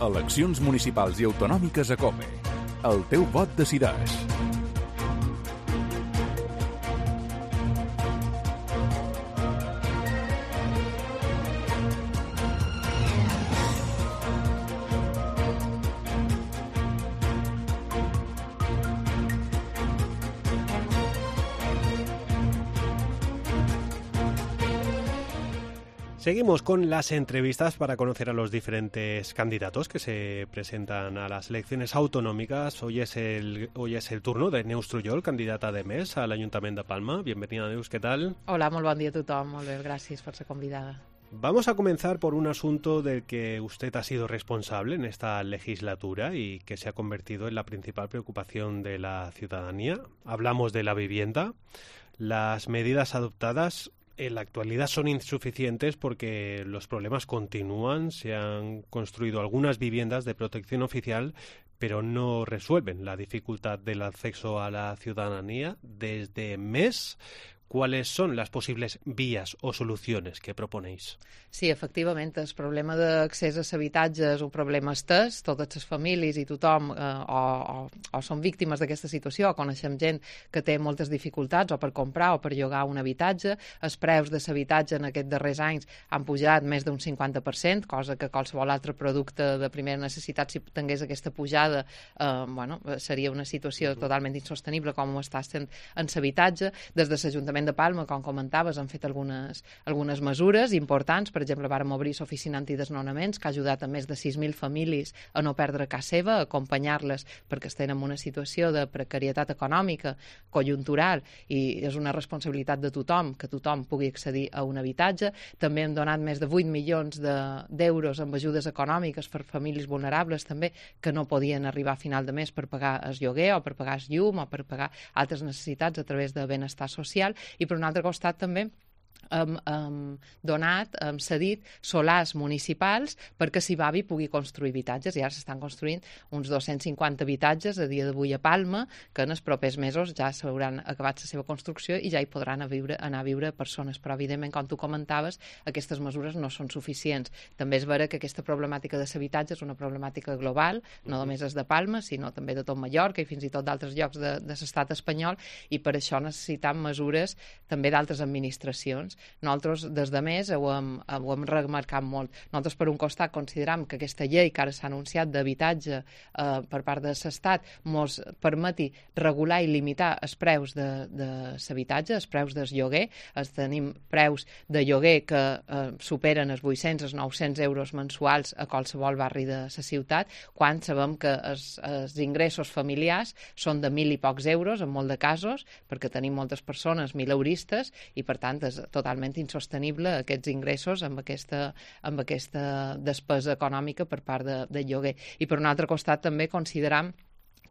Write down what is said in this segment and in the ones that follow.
Eleccions municipals i autonòmiques a COPE. El teu vot decideix. Seguimos con las entrevistas para conocer a los diferentes candidatos que se presentan a las elecciones autonómicas. Hoy es el turno de Neus Trullol, candidata de MES al Ayuntamiento de Palma. Bienvenida, Neus, ¿qué tal? Hola, molt bon dia a tothom. Molt bé, gràcies per ser convidada. Vamos a comenzar por un asunto del que usted ha sido responsable en esta legislatura y que se ha convertido en la principal preocupación de la ciudadanía. Hablamos de la vivienda. Las medidas adoptadas en la actualidad son insuficientes porque los problemas continúan. Se han construido algunas viviendas de protección oficial, pero no resuelven la dificultad del acceso a la ciudadanía. Desde MES, ¿cuáles son las posibles vías o soluciones que proponéis? Sí, efectivament, el problema d'accés a l'habitatge és un problema estès. Totes les famílies i tothom o són víctimes d'aquesta situació, o coneixem gent que té moltes dificultats o per comprar o per llogar un habitatge. Els preus de l'habitatge en aquests darrers anys han pujat més d'un 50%, cosa que qualsevol altre producte de primera necessitat, si tingués aquesta pujada, seria una situació totalment insostenible com ho està sent en l'habitatge. Des de l'Ajuntament de Palma, com comentaves, han fet algunes mesures importants. Per exemple, vàrem obrir l'oficina antidesnonaments, que ha ajudat a més de 6.000 famílies a no perdre casa seva, a acompanyar-les perquè estan en una situació de precarietat econòmica, conjuntural, i és una responsabilitat de tothom que tothom pugui accedir a un habitatge. També hem donat més de 8 milions d'euros amb ajudes econòmiques per famílies vulnerables també que no podien arribar a final de mes per pagar el lloguer o per pagar el llum o per pagar altres necessitats a través de benestar social. I per un altre costat també hem cedit solars municipals perquè Sibavi pugui construir habitatges, i ara s'estan construint uns 250 habitatges a dia d'avui a Palma, que en els propers mesos ja s'hauran acabat la seva construcció i ja hi podran anar a viure persones. Però evidentment, com tu comentaves, aquestes mesures no són suficients. També és vera que aquesta problemàtica de l'habitatge és una problemàtica global, no només és de Palma, sinó també de tot Mallorca i fins i tot d'altres llocs de l'estat espanyol, i per això necessitam mesures també d'altres administracions. Nosaltres, des de MES, ho hem remarcat molt. Nosaltres, per un costat, consideram que aquesta llei que ara s'ha anunciat d'habitatge per part de l'Estat ens permeti regular i limitar els preus de l'habitatge, els preus del lloguer. Tenim preus de lloguer que superen els 800, els 900 euros mensuals a qualsevol barri de la ciutat, quan sabem que els ingressos familiars són de 1.000 i pocs euros, en molt de casos, perquè tenim moltes persones mileuristes, i per tant és totalment insostenible aquests ingressos amb aquesta despesa econòmica per part del lloguer. I per un altre costat també consideram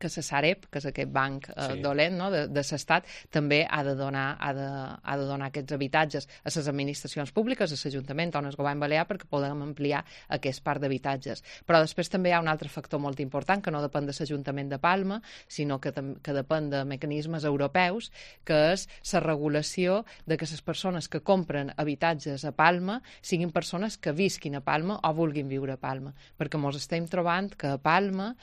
que la Sareb, que és aquest banc dolent, no, de l'Estat, també ha de donar aquests habitatges a les administracions públiques, a l'Ajuntament o al Govern Balear, perquè podem ampliar aquest parc d'habitatges. Però després també hi ha un altre factor molt important, que no depèn de l'Ajuntament de Palma, sinó que depèn de mecanismes europeus, que és la regulació de que les persones que compren habitatges a Palma siguin persones que visquin a Palma o vulguin viure a Palma, perquè ens estem trobant que a Palma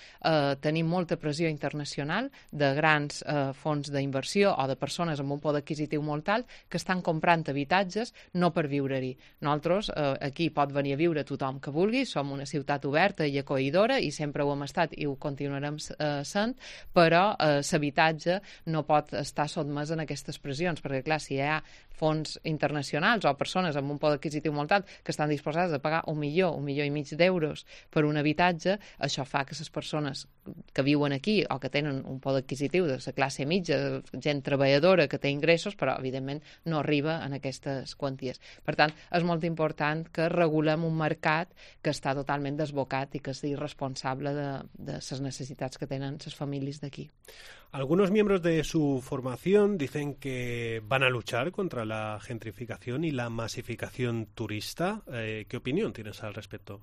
tenim molta pressió internacional de grans fons d'inversió o de persones amb un poder adquisitiu molt alt que estan comprant habitatges no per viure-hi. Nosaltres, aquí pot venir a viure tothom que vulgui, som una ciutat oberta i acollidora i sempre ho hem estat i ho continuarem sent, però l'habitatge no pot estar sotmès en aquestes pressions, perquè clar, si hi ha fons internacionals o persones amb un poder adquisitiu molt alt que estan disposades a pagar 1 milió i mig d'euros per un habitatge, això fa que les persones que viuen aquí o que tenen un poder adquisitiu de la classe mitja, gent treballadora que té ingressos, però evidentment no arriba en aquestes quanties. Per tant, és molt important que regulem un mercat que està totalment desbocat i que és irresponsable de les necessitats que tenen les famílies d'aquí. Algunos miembros de su formación dicen que van a luchar contra la gentrificación y la masificación turista. ¿Qué opinión tienes al respecto?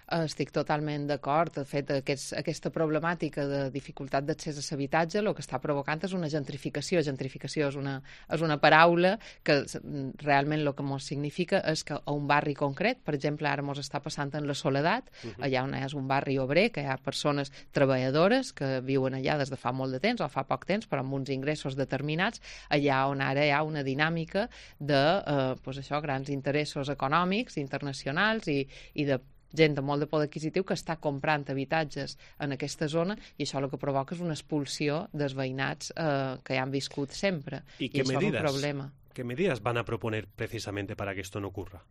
Estic totalment d'acord. De fet, aquesta problemàtica de dificultat d'accés a l'habitatge el que està provocant és una gentrificació. Gentrificació és una paraula que realment el que ens significa és que a un barri concret, per exemple, ara ens està passant en la Soledat, allà on és un barri obrer, que hi ha persones treballadores que viuen allà des de fa molt de temps o fa poc temps, però amb uns ingressos determinats, allà on ara hi ha una dinàmica de grans interessos econòmics, internacionals i de gent de molt de poder adquisitiu que està comprant habitatges en aquesta zona i això el que provoca és una expulsió dels veïnats que hi han viscut sempre. I això és un problema. ¿Qué medidas van a proponer precisamente para que esto no ocurra?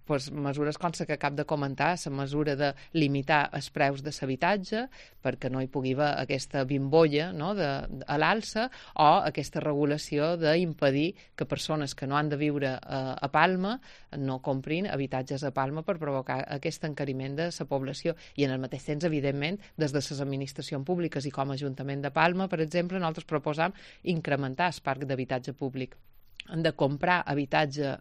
Pues mesures com la que acabo de comentar, la mesura de limitar els preus de l'habitatge perquè no hi pugui haver aquesta bimbolla, no, a l'alça, o aquesta regulació d'impedir que persones que no han de viure a Palma no comprin habitatges a Palma per provocar aquest encariment de la població. I en el mateix temps, evidentment, des de les administracions públiques i com a Ajuntament de Palma, per exemple, nosaltres proposam incrementar el parc d'habitatge públic. Han de comprar habitatge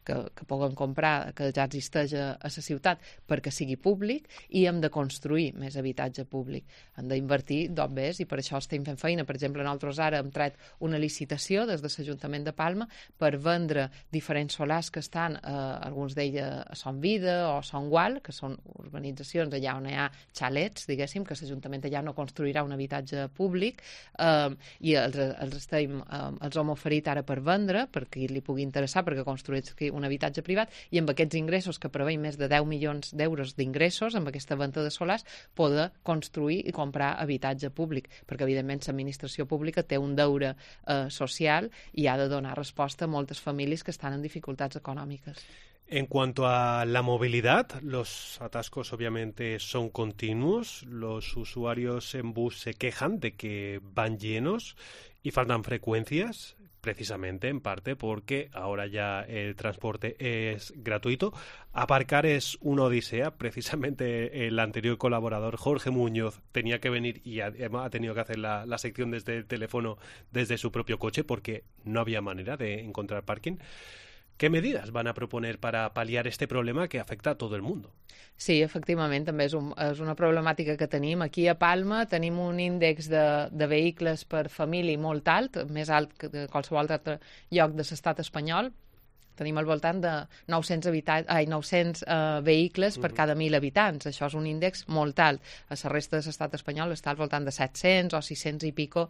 que puguen comprar, que ja existeix a la ciutat perquè sigui públic, i hem de construir més habitatge públic. Han d'invertir d'obres i per això estem fent feina. Per exemple, nosaltres ara hem tret una licitació des de l'Ajuntament de Palma per vendre diferents solars que estan, alguns d'ells a Son Vida o Son Gual, que són urbanitzacions allà on hi ha xalets, diguéssim, que l'Ajuntament allà no construirà un habitatge públic, i els hem oferit ara per vendre perquè li pugui interessar perquè construïsqui un habitatge privat, i amb aquests ingressos que preveiem més de 10 milions d'euros d'ingressos amb aquesta venda de solars poder construir i comprar habitatge públic, perquè evidentment l'administració pública té un deure social i ha de donar resposta a moltes famílies que estan en dificultats econòmiques. En cuanto a la movilidad, los atascos obviamente son continuos. Los usuarios en bus se quejan de que van llenos y faltan frecuencias, precisamente en parte porque ahora ya el transporte es gratuito. Aparcar es una odisea. Precisamente el anterior colaborador, Jorge Muñoz, tenía que venir y ha tenido que hacer la sección desde el teléfono, desde su propio coche, porque no había manera de encontrar parking. ¿Qué medidas van a proponer para paliar este problema que afecta a todo el mundo? Sí, efectivament, també és una problemàtica que tenim. Aquí a Palma tenim un índex de vehicles per família molt alt, més alt que de qualsevol altre lloc de l'estat espanyol. Tenim al voltant de 900 vehicles per cada 1.000 habitants. Això és un índex molt alt. A la resta de l'estat espanyol està al voltant de 700 o 600 i pico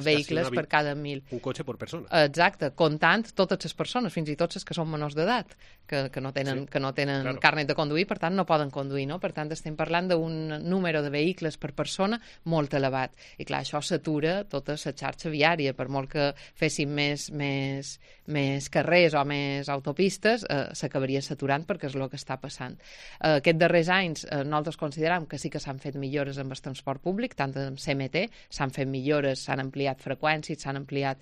vehicles per cada 1.000. Un cotxe per persona. Exacte, comptant totes les persones, fins i tot les que són menors d'edat, que no tenen claro, carnet de conduir, per tant no poden conduir, no? Per tant estem parlant d'un número de vehicles per persona molt elevat. I clar, això s'atura tota la xarxa viària, per molt que féssim més carrers o més autopistes, s'acabaria saturant perquè és el que està passant. Aquests darrers anys nosaltres considerem que sí que s'han fet millores amb el transport públic, tant en CMT, s'han fet millores, s'han ampliat freqüències, s'han ampliat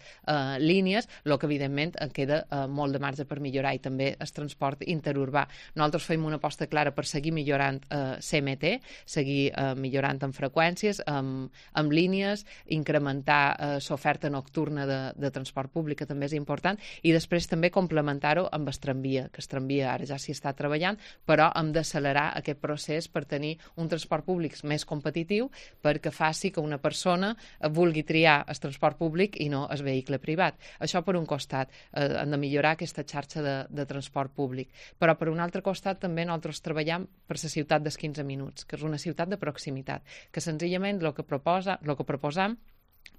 línies, el que evidentment queda molt de marge per millorar, i també el transport interurbà. Nosaltres fem una aposta clara per seguir millorant CMT, seguir millorant en freqüències, amb línies, incrementar l'oferta nocturna de transport públic, que també és important, i després també complementar amb el tramvia, que el tramvia ara ja s'hi està treballant, però hem d'accelerar aquest procés per tenir un transport públic més competitiu, perquè faci que una persona vulgui triar el transport públic i no el vehicle privat. Això per un costat, hem de millorar aquesta xarxa de transport públic. Però per un altre costat també nosaltres treballem per la ciutat dels 15 minuts, que és una ciutat de proximitat, que senzillament el que proposam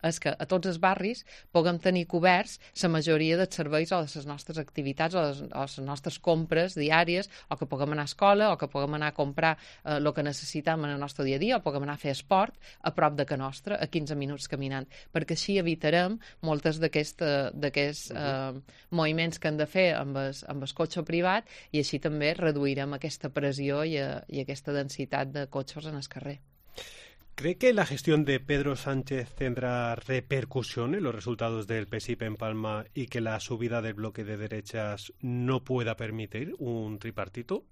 és que a tots els barris puguem tenir coberts la majoria dels serveis o de les nostres activitats o les nostres compres diàries, o que puguem anar a escola, o que puguem anar a comprar el que necessitem en el nostre dia a dia, o puguem anar a fer esport a prop de casa nostra, a 15 minuts caminant, perquè així evitarem moltes d'aquests moviments que hem de fer amb el cotxe privat, i així també reduirem aquesta pressió i aquesta densitat de cotxes en el carrer. ¿Cree que la gestión de Pedro Sánchez tendrá repercusión en los resultados del PSIP en Palma y que la subida del bloque de derechas no pueda permitir un tripartito?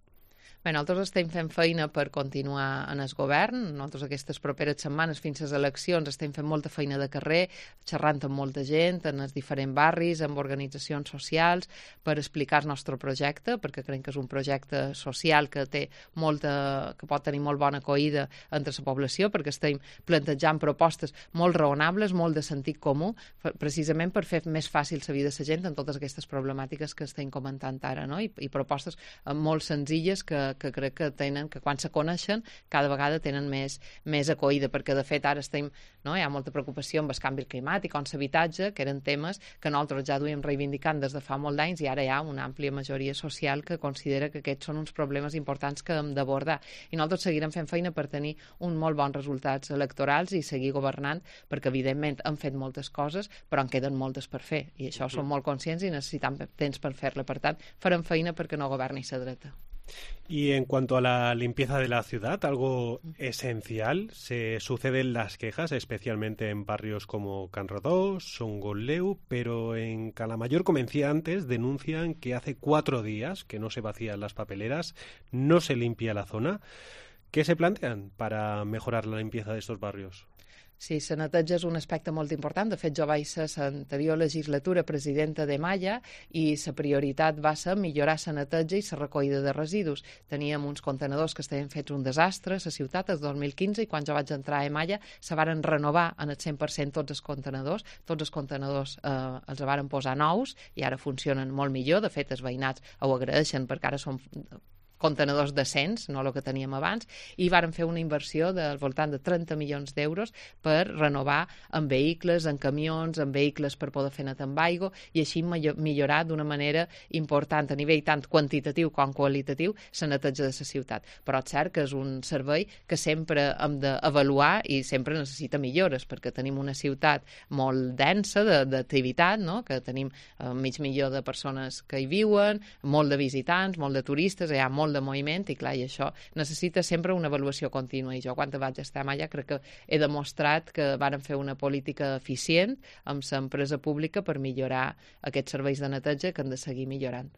Bé, nosaltres estem fent feina per continuar en el govern. Nosaltres aquestes properes setmanes fins a les eleccions estem fent molta feina de carrer, xerrant amb molta gent, en els diferents barris, amb organitzacions socials, per explicar el nostre projecte, perquè creiem que és un projecte social que pot tenir molt bona acollida entre la població, perquè estem plantejant propostes molt raonables, molt de sentit comú, precisament per fer més fàcil la vida de la gent en totes aquestes problemàtiques que estem comentant ara, no? I propostes molt senzilles que crec que quan se coneixen cada vegada tenen més acollida, perquè de fet ara hi ha molta preocupació amb el canvi climàtic o amb l'habitatge, que eren temes que nosaltres ja duíem reivindicant des de fa molt d'anys i ara hi ha una àmplia majoria social que considera que aquests són uns problemes importants que hem d'abordar. I nosaltres seguirem fent feina per tenir uns molt bons resultats electorals i seguir governant, perquè evidentment hem fet moltes coses, però en queden moltes per fer, i això som molt conscients i necessitam temps per fer-la. Per tant, farem feina perquè no governi la dreta. Y en cuanto a la limpieza de la ciudad, algo esencial, se suceden las quejas, especialmente en barrios como Can Rodó, Songoleu, pero en Calamayor, como decía antes, denuncian que hace 4 días que no se vacían las papeleras, no se limpia la zona. ¿Qué se plantean para mejorar la limpieza de estos barrios? Sí, la neteja és un aspecte molt important. De fet, jo vaig ser l'anterior legislatura presidenta de Malla i la prioritat va ser millorar la neteja i la recollida de residus. Teníem uns contenedors que estaven fets un desastre a la ciutat el 2015 i quan jo vaig entrar a Malla se varen renovar en el 100% tots els contenedors. Tots els contenedors els varen posar nous i ara funcionen molt millor. De fet, els veïnats ho agraeixen perquè ara són contenedors decents, no el que teníem abans, i varen fer una inversió del voltant de 30 milions d'euros per renovar en vehicles, en camions, en vehicles per poder fer net amb aigua i així millorar d'una manera important a nivell tant quantitatiu com qualitatiu la neteja de la ciutat. Però és cert que és un servei que sempre hem d'avaluar i sempre necessita millores, perquè tenim una ciutat molt densa d'activitat, no? Que tenim mig milió de persones que hi viuen, molt de visitants, molt de turistes, hi ha molt de moviment i clar, i això necessita sempre una avaluació contínua, i jo quan vaig estar a Malla crec que he demostrat que varen fer una política eficient amb l'empresa pública per millorar aquests serveis de neteja que han de seguir millorant.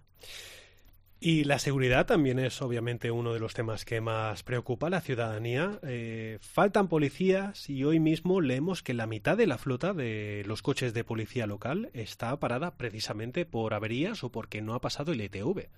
Y la seguridad también es obviamente uno de los temas que más preocupa a la ciudadanía. Faltan policías y hoy mismo leemos que la mitad de la flota de los coches de policía local está parada precisamente por averías o porque no ha pasado el ETV.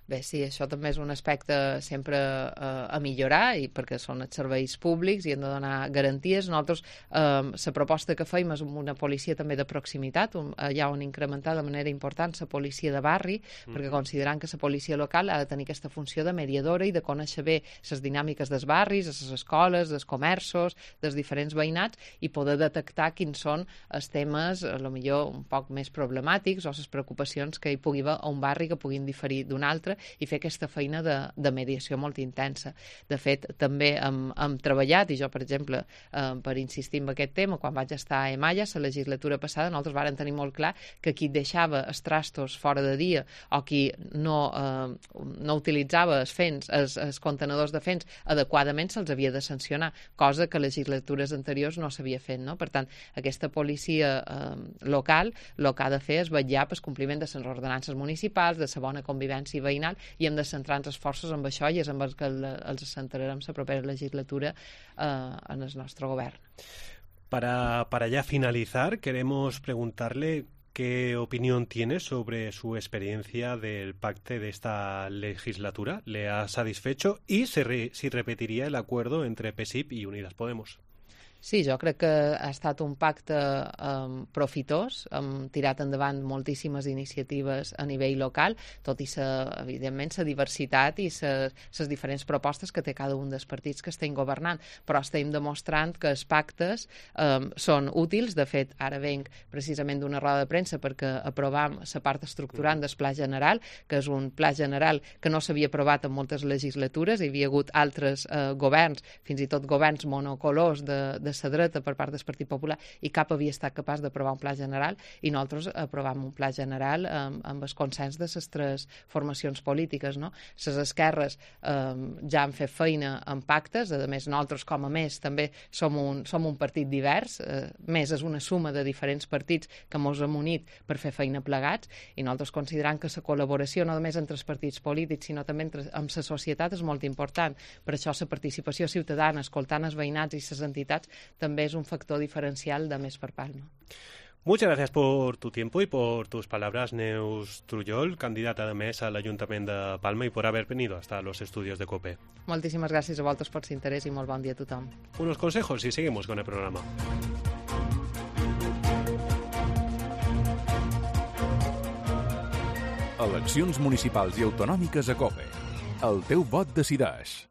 Bé, sí, això també és un aspecte sempre a millorar, i perquè són els serveis públics i han de donar garanties. Nosaltres, la proposta que feim és una policia també de proximitat, allà on incrementar de manera important la policia de barri, perquè considerant que la policia local ha de tenir aquesta funció de mediadora i de conèixer bé les dinàmiques dels barris, de les escoles, dels comerços, dels diferents veïnats, i poder detectar quins són els temes, potser un poc més problemàtics, o les preocupacions que hi pugui haver a un barri que puguin diferir d'un altre, i fer aquesta feina de mediació molt intensa. De fet, també hem treballat, i jo, per exemple, per insistir en aquest tema, quan vaig estar a Malla, la legislatura passada, nosaltres vàrem tenir molt clar que qui deixava els trastos fora de dia o qui no utilitzava els contenedors de fens adequadament se'ls havia de sancionar, cosa que legislatures anteriors no s'havia fet, no? Per tant, aquesta policia local el que ha de fer és vetllar pel compliment de les ordenances municipals, de la bona convivència veïnal, i hem de centrar els esforços en això i és amb el que els centrarem la propera legislatura en el nostre govern. Para ya finalizar, queremos preguntarle qué opinión tiene sobre su experiencia del pacte de esta legislatura. ¿Le ha satisfecho? Y si repetiría el acuerdo entre PSIP y Unidas Podemos. Sí, jo crec que ha estat un pacte profitós, hem tirat endavant moltíssimes iniciatives a nivell local, tot i, evidentment, la diversitat i les diferents propostes que té cada un dels partits que estem governant, però estem demostrant que els pactes són útils. De fet, ara venc precisament d'una roda de premsa perquè aprovam la part estructurant del Pla General, que és un pla general que no s'havia aprovat en moltes legislatures, hi havia hagut altres governs, fins i tot governs monocolors de la dreta per part del Partit Popular i cap havia estat capaç d'aprovar un pla general, i nosaltres aprovàvem un pla general amb el consens de les 3 formacions polítiques, no? Les esquerres ja han fet feina en pactes, a més nosaltres com a més també som un partit divers, més és una suma de diferents partits que ens hem unit per fer feina plegats, i nosaltres considerem que la col·laboració no només entre els partits polítics sinó també amb la societat és molt important. Per això la participació ciutadana, escoltant els veïnats i les entitats, també és un factor diferencial de més per Palma. Muchas gracias por tu tiempo y por tus palabras, Neus Trullol, candidata de MES al Ayuntamiento de Palma, y por haber venido hasta los estudios de COPE. Moltíssimes gràcies a vosaltres per l'interès i molt bon dia a tothom. Unos consejos y seguimos con el programa. Eleccions municipals i autonòmiques a COPE. El teu vot decideix.